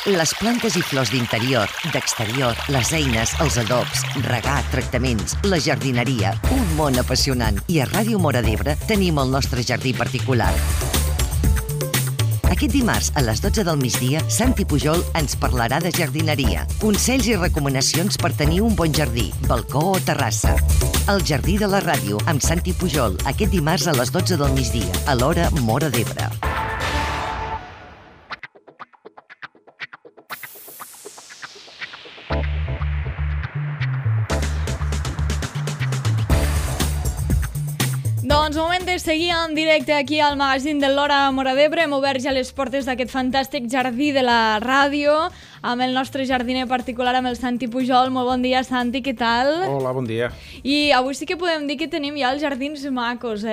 Les plantes i flors d'interior, d'exterior, les eines, els adobs, regar, tractaments, la jardineria, un món apassionant. I a Ràdio Móra d'Ebre tenim el nostre jardí particular. Aquest dimarts, a les 12 del migdia, Santi Pujol ens parlarà de jardineria, consells i recomanacions per tenir un bon jardí, balcó o terrassa. El Jardí de la Ràdio, amb Santi Pujol, aquest dimarts a les 12 del migdia, a l'hora Móra d'Ebre. Doncs moment de seguir en directe aquí al magazín de l'Hora Móra d'Ebre. Hem obert ja les portes d'aquest fantàstic jardí de la ràdio amb el nostre jardiner particular, amb el Santi Pujol. Molt bon dia, Santi, què tal? Hola, bon dia. I avui sí que podem dir que tenim ja els jardins macos,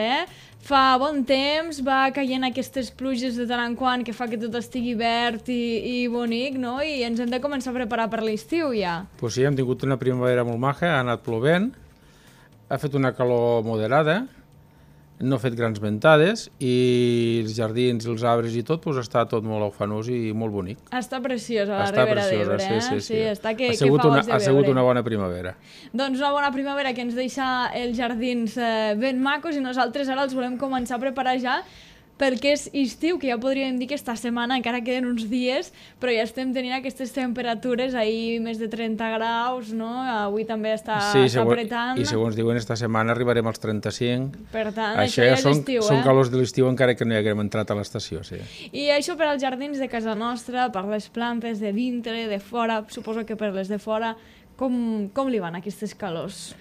Fa bon temps, va caient aquestes pluges de tant en quant que fa que tot estigui verd i bonic, no? I ens hem de començar a preparar per l'estiu ja. Pues sí, hem tingut una primavera molt maca, ha anat plovent, ha fet una calor moderada, no ha fet grans ventades i els jardins, els arbres i tot, doncs està tot molt ufanós i molt bonic. Està preciosa la Ribera d'Ebre, sí. Està que ha fa goig de veure. Ha sigut una bona primavera. Doncs una bona primavera que ens deixa els jardins ben macos i nosaltres ara els volem començar a preparar ja perquè és estiu, que ja podríem dir que esta setmana encara queden uns dies, però ja estem tenint aquestes temperatures, ahir més de 30 graus, no? Avui també està apretant. I segons diuen, esta setmana arribarem als 35. Per tant, això ja és estiu, Són calors de l'estiu encara que no hi haguem entrat a l'estació, sí. I això per als jardins de casa nostra, per les plantes de dintre, de fora, suposo que per les de fora, com li van aquestes calors?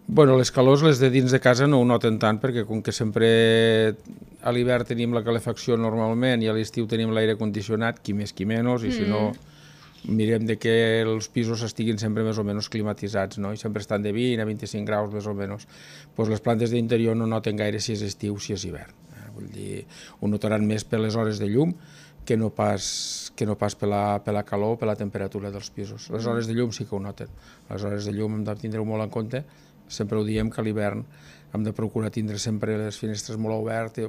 Bueno, les calors, les de dins de casa no ho noten tant, perquè com que sempre a l'hivern tenim la calefacció normalment i a l'estiu tenim l'aire condicionat, qui més qui menys, i si no mirem de que els pisos estiguin sempre més o menys climatitzats, no? I sempre estan de 20 a 25 graus més o menys. Pues les plantes d'interior no noten gaire si és estiu, si és hivern. Vull dir, ho notaran més per les hores de llum que no pas per la calor o per la temperatura dels pisos. Les hores de llum sí que ho noten. Les hores de llum hem de tindre-ho molt en compte. Sempre ho diem que a l'hivern hem de procurar tindre sempre les finestres molt obertes,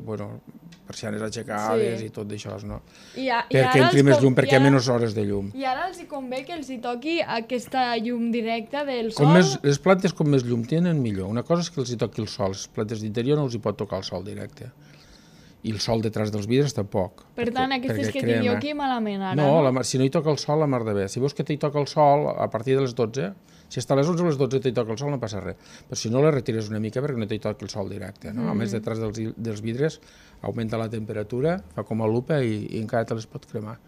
persianes aixecades i tot d'això, no? Perquè entri més llum, perquè hi ha menys hores de llum. I ara els convé que els hi toqui aquesta llum directa del sol? Les plantes com més llum tenen, millor. Una cosa és que els hi toqui el sol, les plantes d'interior no els hi pot tocar el sol directe. I el sol detrás dels vidres tampoc. Per tant, aquestes que tinc jo aquí malament ara, no? Si no hi toca el sol, la mar de bé. Si veus que t'hi toca el sol, a partir de les 12, si està a les 11 o les 12 t'hi toca el sol, no passa res. Però si no, la retires una mica perquè no t'hi toqui el sol directe. A més, detrás dels vidres augmenta la temperatura, fa com a lupa i encara te les pot cremar.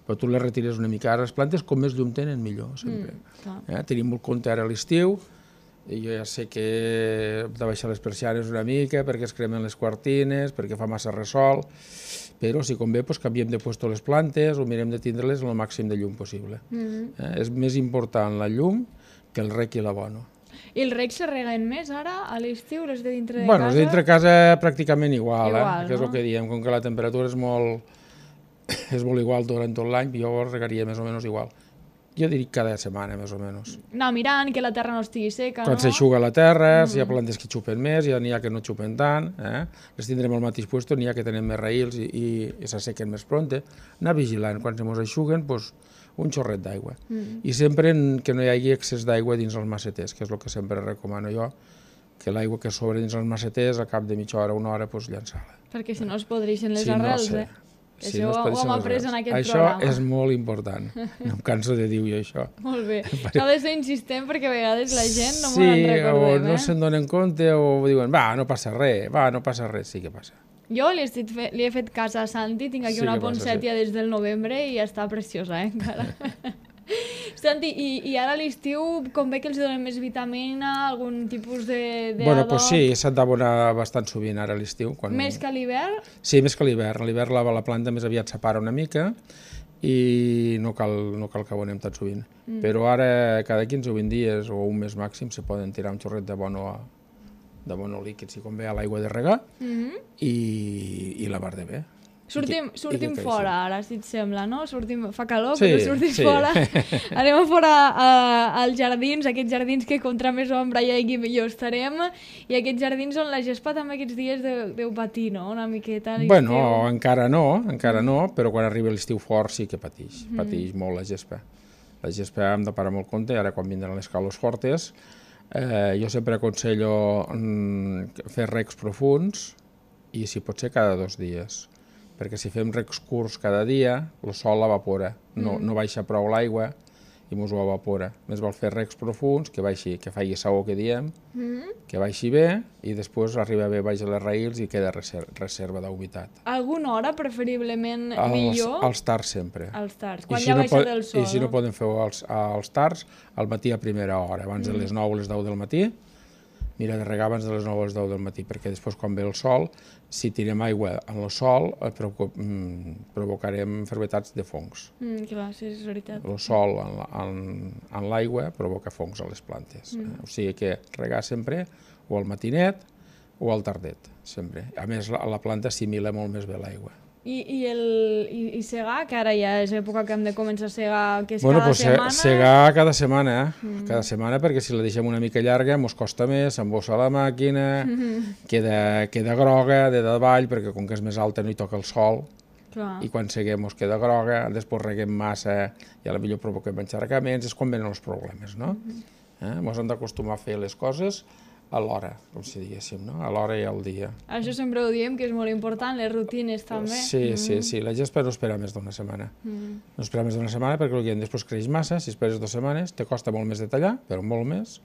Però tu les retires una mica. Ara les plantes, com més llum tenen, millor, sempre. Tenim molt compte ara a l'estiu, i jo ja sé que hem de baixar les persianes una mica perquè es cremen les cortines, perquè fa massa ressol, però si convé canviem de puesto les plantes o mirem de tindre-les el màxim de llum possible. És més important la llum que el rec i l'abono. I els recs se reguen més ara, a l'estiu, les de dintre de casa? Bueno, les de dintre de casa pràcticament igual, que és el que diem, com que la temperatura és molt igual durant tot l'any, jo regaria més o menys igual. Jo diria cada setmana, més o menys. Anar mirant que la terra no estigui seca, no? Quan s'eixuga la terra, si hi ha plantes que xupen més, n'hi ha que no xupen tant, les tindrem al mateix lloc, n'hi ha que tenen més raïls i s'assequen més pronte. Anar vigilant, quan se mos eixuguen, un xorret d'aigua. I sempre que no hi hagi excés d'aigua dins els maceters, que és el que sempre recomano jo, que l'aigua que sobre dins els maceters, a cap de mitja hora, una hora, llançar-la. Perquè si no es podreixen les arrels, Això ho hem après en aquest programa. Això és molt important. No em canso de dir-ho, això. Molt bé. S'ha de ser insistent perquè a vegades la gent no m'ho en recordem. Sí, o no se'n donen compte o diuen, no passa res, sí que passa. Jo li he fet cas a Santi, tinc aquí una ponsètia des del novembre i està preciosa, encara. Santi, i ara a l'estiu convé que els donem més vitamina, algun tipus d'adob? Bueno, doncs sí, s'ha d'abonar bastant sovint ara a l'estiu. Més que a l'hivern? Sí, més que a l'hivern. A l'hivern la planta més aviat s'apara una mica i no cal que abonem tan sovint. Però ara, cada 15 o 20 dies o un mes màxim, se poden tirar un xorret d'abono líquid, si convé, a l'aigua de regar i la mar de bé. Sortim fora ara, si et sembla, no? Fa calor, Sí, però sortim sí. fora. Anem a fora als jardins, aquests jardins que contra més ombra hi hagi millor estarem, i aquests jardins on la gespa també aquests dies deu patir, no? Una miqueta. Bueno, encara no, però quan arriba l'estiu fort sí que pateix molt la gespa. La gespa hem de parar molt compte, ara quan vindran les calors fortes, jo sempre aconsello fer recs profunds i si pot ser cada 2 dies, perquè si fem recs curts cada dia, el sol l'evapora, no baixa prou l'aigua i ens ho evapora. Més val fer recs profunds, que faci saó, que diem, que baixi bé i després arriba bé baix a les raïls i queda reserva d'humitat. Alguna hora preferiblement millor? Als tars sempre. Als tars, quan ja baixa del sol. I si no podem fer als tars, al matí a primera hora, abans de les 9 o les 10 del matí, mira de regar abans de les 9 o les 10 del matí, perquè després quan ve el sol, si tirem aigua en el sol, provocarem malalties de fongs. Clar, sí, és veritat. El sol en l'aigua provoca fongs a les plantes. O sigui que regar sempre o al matinet o al tardet, sempre. A més, la planta assimila molt més bé l'aigua. I segar, que ara ja és època que hem de començar a segar, que és cada setmana? Segar cada setmana, cada setmana, perquè si la deixem una mica llarga ens costa més, s'embossa la màquina, queda groga de davall, perquè com que és més alta no hi toca el sol, i quan seguem ens queda groga, després reguem massa i potser provoquem encharcaments, és quan venen els problemes, no? Ens hem d'acostumar a fer les coses a l'hora, com si diguéssim, no? A l'hora i al dia. Això sempre ho diem, que és molt important, les rutines també. Sí, la gespa no espera més d'una setmana. No espera més d'una setmana perquè després creix massa, si esperes 2 setmanes, te costa molt més de tallar, però molt més,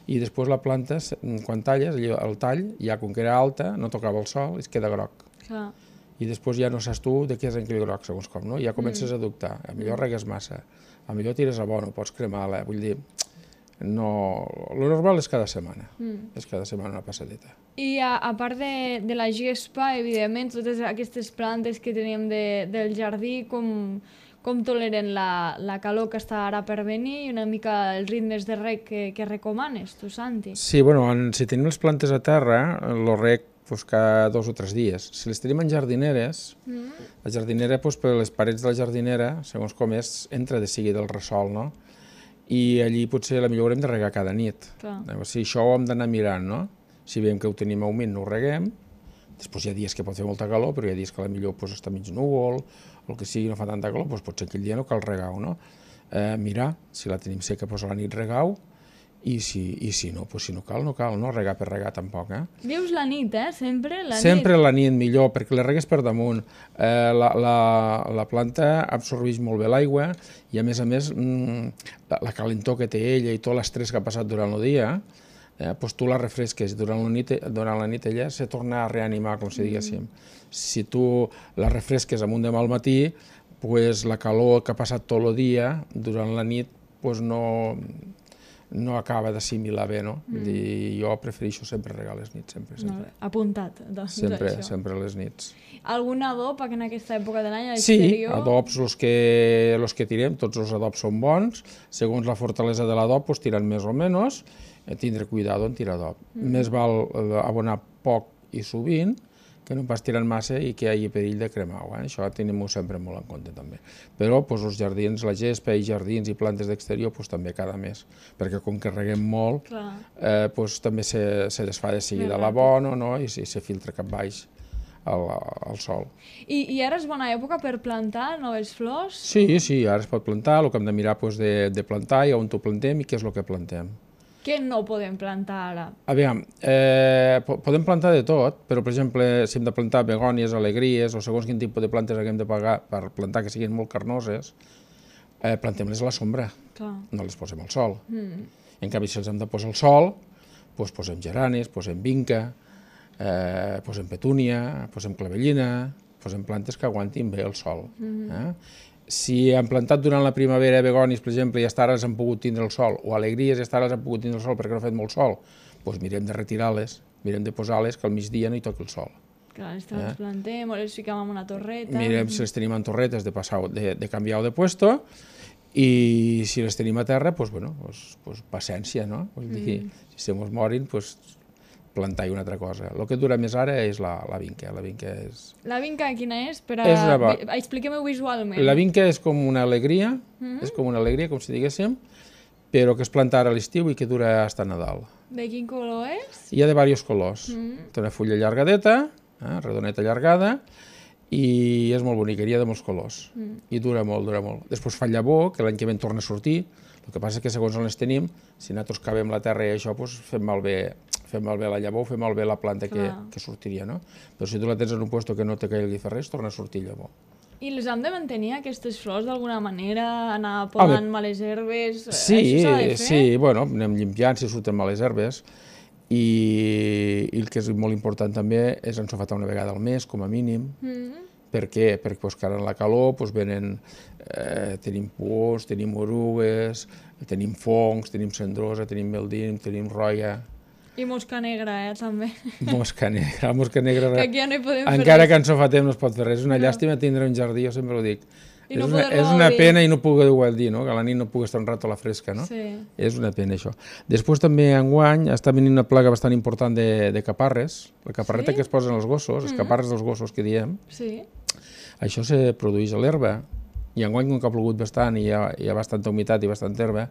i després la planta, quan talles, el tall, ja com que era alta, no tocava el sol, es queda groc. I després ja no saps tu de què és aquell groc, segons com, no? Ja comences a dubtar, a millor regues massa, a millor tires abono, pots cremar-la, vull dir... No, lo normal és cada setmana, és cada setmana una passadeta. I a part de la gespa, evidentment, totes aquestes plantes que teníem del jardí, com toleren la calor que està ara per venir i una mica els ritmes de reg que recomanes, tu, Santi? Sí, bueno, si tenim les plantes a terra, el reg cada 2 o 3 dies. Si les tenim en jardineres, la jardinera, per les parets de la jardinera, segons com és, entra de seguida el ressol, no? I allí potser millor haurem de regar cada nit. Si això ho hem d'anar mirant, no? Si veiem que ho tenim humit no ho reguem, després hi ha dies que pot fer molta calor, però hi ha dies que potser està mig núvol, o el que sigui no fa tanta calor, doncs potser aquell dia no cal regar-ho, no? Mirar, si la tenim seca, doncs a la nit regar-ho, i si no, doncs si no cal, no regar per regar tampoc. Dius la nit, sempre la nit? Sempre la nit millor, perquè les regues per damunt. La planta absorbeix molt bé l'aigua i a més la calentor que té ella i tot l'estrès que ha passat durant el dia, doncs tu la refresques durant la nit ella se torna a reanimar, com si diguéssim. Si tu la refresques amunt demà al matí, doncs la calor que ha passat tot el dia durant la nit no acaba d'assimilar bé, no? Jo prefereixo sempre regar les nits, sempre. Apuntat, doncs, això. Sempre les nits. Algun adob en aquesta època de l'any a Sí, l'exterior? adobs, els que tirem, tots els adobs són bons, segons la fortalesa de l'adob, tiren més o menys, tindre cuidado en tirar adob. Més val abonar poc i sovint, que no pas tirant massa i que hi hagi perill de cremar-ho. Això tenim-ho sempre molt en compte també. Però els jardins, la gespa i jardins i plantes d'exterior també cada mes, perquè com que reguem molt, també se desfà de seguida l'abono i se filtra cap baix al sol. I ara és bona època per plantar noves flors? Sí, ara es pot plantar, el que hem de mirar de plantar i on ho plantem i què és el que plantem. Què no podem plantar ara? Aviam, podem plantar de tot, però, per exemple, si hem de plantar begònies, alegries, o segons quin tipus de plantes haguem de pagar per plantar que siguin molt carnoses, plantem-les a la sombra, no les posem al sol. En canvi, si els hem de posar al sol, doncs posem geranis, posem vinca, posem petúnia, posem clavellina, posem plantes que aguantin bé el sol. Si hem plantat durant la primavera begònies, per exemple, i hasta ara els han pogut tindre el sol, o alegries i hasta ara els han pogut tindre el sol perquè no ha fet molt sol, doncs mirem de retirar-les, mirem de posar-les que al migdia no hi toqui el sol. Clar, les transplantem o les fiquem en una torreta. Mirem si les tenim en torretes de canviar de puesto, i si les tenim a terra, doncs paciència, no? Vull dir, si se mos morin, doncs plantar-hi una altra cosa. El que dura més ara és la vinca. La vinca és... La vinca quina és? Expliquem-ho visualment. La vinca és com una alegria, com si diguéssim, però que es planta ara a l'estiu i que dura fins a Nadal. De quin color és? Hi ha de diversos colors. Té una fulla allargadeta, redoneta allargada, i és molt bonica, hi ha de molts colors. I dura molt, dura molt. Després fa llavor, que l'any que ve torna a sortir. El que passa és que segons on les tenim, si nosaltres cavem la terra i això, fem malbé la llavor, fem malbé la planta que sortiria, no? Però si tu la tens en un lloc que no te caigui res, torna a sortir llavor. I les hem de mantenir, aquestes flors, d'alguna manera? Anar podant males herbes? Sí, bueno, anem limpiant si surten males herbes. I el que és molt important també és ensofatar una vegada al mes, com a mínim. Per què? Perquè ara en la calor tenim pors, tenim orugues, tenim fongs, tenim cendrosa, tenim meldín, tenim roia. I mosca negra, també. Mosca negra. Que aquí ja no hi podem fer res. Encara que ensofatem no es pot fer res. És una llàstima tindre un jardí, jo sempre ho dic. És una pena i no poder-ho dir, no? Que a la nit no puguis estar un rato a la fresca, no? Sí. És una pena, això. Després també enguany està venint una plaga bastant important de caparres. La caparreta que es posen als gossos, els caparres dels gossos que diem. Sí. Això se produeix a l'herba. I enguany, com que ha plogut bastant i hi ha bastanta humitat i bastanta herba,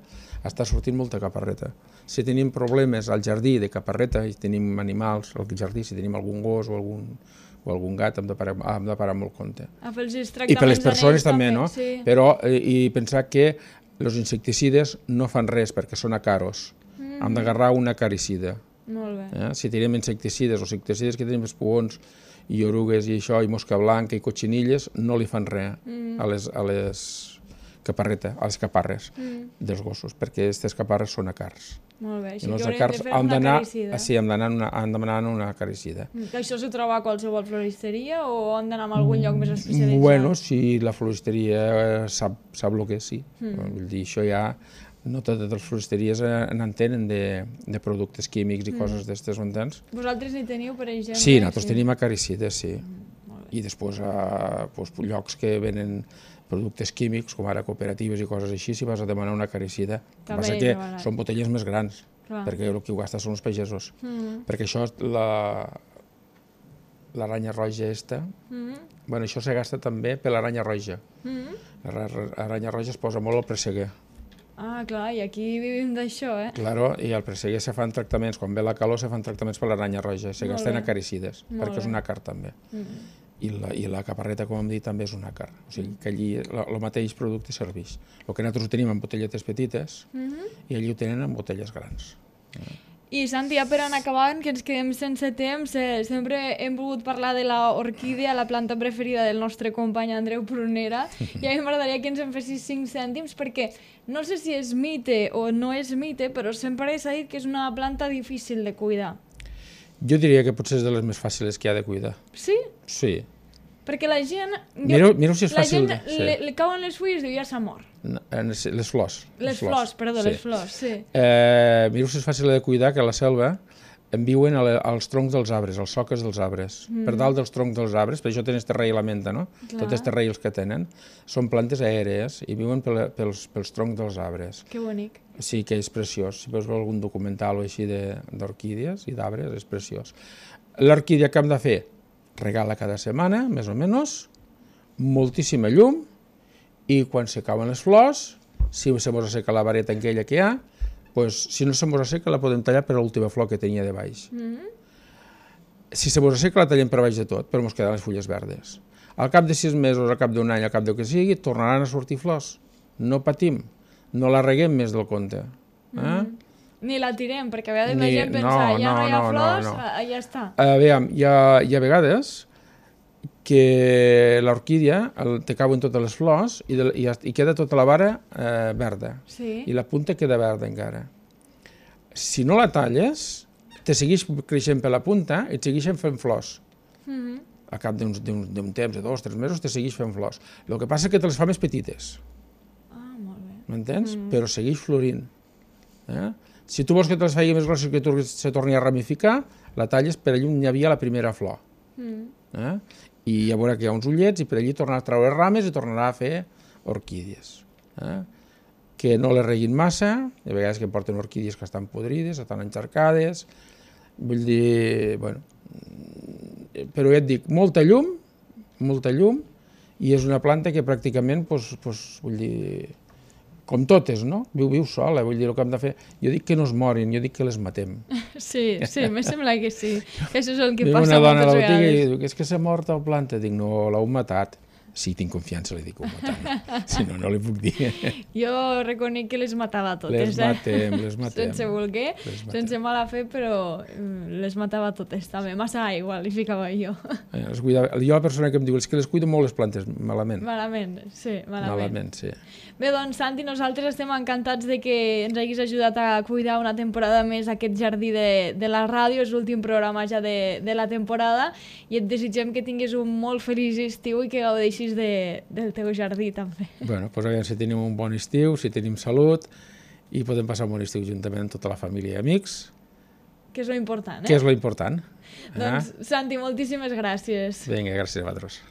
està sortint molta caparreta. Si tenim problemes al jardí de caparreta i tenim animals al jardí, si tenim algun gos o algun gat, hem de parar molt compte. I per les persones també, no? Però i pensar que els insecticides no fan res perquè són acaros. Hem d'agarrar un acaricida. Molt bé. Si tenim insecticides o insecticides que tenim espugons i orugues i això, i mosca blanca i cotxinilles, no li fan res a les caparres dels gossos, perquè aquestes caparres són acars. Molt bé, així que haurem de fer una acaricida. Sí, hem d'anar una acaricida. Això s'ho troba a qualsevol floristeria o hem d'anar a algun lloc més especialitzat? Bueno, si la floristeria sap el que és, sí. Vull dir, això ja... No totes les floristeries n'entenen de productes químics i coses d'estes, ho entens? Vosaltres n'hi teniu, per exemple? Sí, nosaltres tenim acaricides, sí. I després llocs que venen productes químics, com ara cooperatives i coses així, si vas a demanar una acaricida. El que passa que són botelles més grans, perquè el que ho gasta són els pagesos. Perquè això, l'aranya roja aquesta, bueno, això se gasta també per l'aranya roja. L'aranya roja es posa molt al presseguer. Ah, clar, i aquí vivim d'això, Claro, i al presseguer se fan tractaments, quan ve la calor se fan tractaments per l'aranya roja, se gasten acaricides, perquè és un àcar també. I la caparreta, com hem dit, també és un àcar. O sigui, que allí el mateix producte serveix. El que nosaltres ho tenim en botelletes petites i allí ho tenen en botelles grans. I Santi, ja per anar acabant, que ens quedem sense temps, sempre hem volgut parlar de l'orquídea, la planta preferida del nostre company Andreu Prunera, i a mi m'agradaria que ens en fessis 5 cèntims, perquè no sé si és mite o no és mite, però sempre s'ha dit que és una planta difícil de cuidar. Jo diria que potser és de les més fàcils que hi ha de cuidar. Sí? Sí. Perquè la gent... Mireu si és fàcil... La gent li cauen les fulles i diu ja s'ha mort. Les flors. Les flors, sí. Mireu si és fàcil de cuidar, que a la selva en viuen als troncs dels arbres, als soques dels arbres. Per dalt dels troncs dels arbres, per això tenen este rei i la menta, no? Tots els raïls que tenen són plantes aèries i viuen pels troncs dels arbres. Que bonic. Sí, que és preciós. Si veus algun documental o així d'orquídies i d'arbres, és preciós. L'orquídea que hem de fer? Regala cada setmana, més o menys, moltíssima llum, i quan se cauen les flors, si se mos asseca la vareta aquella que hi ha, si no se mos asseca la podem tallar per l'última flor que tenia de baix. Si se mos asseca la tallem per baix de tot, però mos queden les fulles verdes. Al cap de 6 mesos, al cap d'un any, al cap del que sigui, tornaran a sortir flors. No patim, no la reguem més del compte. Ni la tirem, perquè a vegades la gent pensa, ja no hi ha flors, ja està. Aviam, hi ha vegades que l'orquídea te cauen totes les flors i queda tota la vara verda. I la punta queda verda encara. Si no la talles, te segueix creixent per la punta i et segueixen fent flors. A cap d'un temps, de 2 o 3 mesos, te segueix fent flors. El que passa és que te les fa més petites. Ah, molt bé. M'entens? Però segueix florint. Si tu vols que te les faci més grosses i que se torni a ramificar, la talles per allà on hi havia la primera flor. I ja veurà que hi ha uns ullets i per allí tornarà a treure rames i tornarà a fer orquídies. Que no les reguin massa, hi ha vegades que porten orquídies que estan podrides, estan encharcades, Vull dir, bueno, però ja et dic, molta llum, i és una planta que pràcticament, vull dir, com totes, no? Viu sola, vull dir, el que hem de fer... Jo dic que no es morin, jo dic que les matem. Sí, me sembla que sí. Això és el que Diu passa una dona a moltes la botiga i vegades. diu, és que s'ha mort el planta. Dic, no, l'heu matat. Sí, tinc confiança, li dic, ho matant. Si no, no li puc dir. Jo reconec que les matava totes, Les matem. Sense voler, sense mala fe, però les matava totes també. Massa aigua li ficava jo. Jo la persona que em diu, és que les cuido molt les plantes, malament. Malament, sí, malament. Malament, sí. Bé, doncs, Santi, nosaltres estem encantats de que ens hagis ajudat a cuidar una temporada més aquest jardí de la ràdio. És l'últim programa ja de la temporada i et desitgem que tinguis un molt feliç estiu i que gaudeixis del teu jardí, també. Bueno, doncs aviam si tenim un bon estiu, si tenim salut i podem passar un bon estiu juntament amb tota la família i amics. Que és lo important, Que és lo important. Doncs, Santi, moltíssimes gràcies. Vinga, gràcies a vosaltres.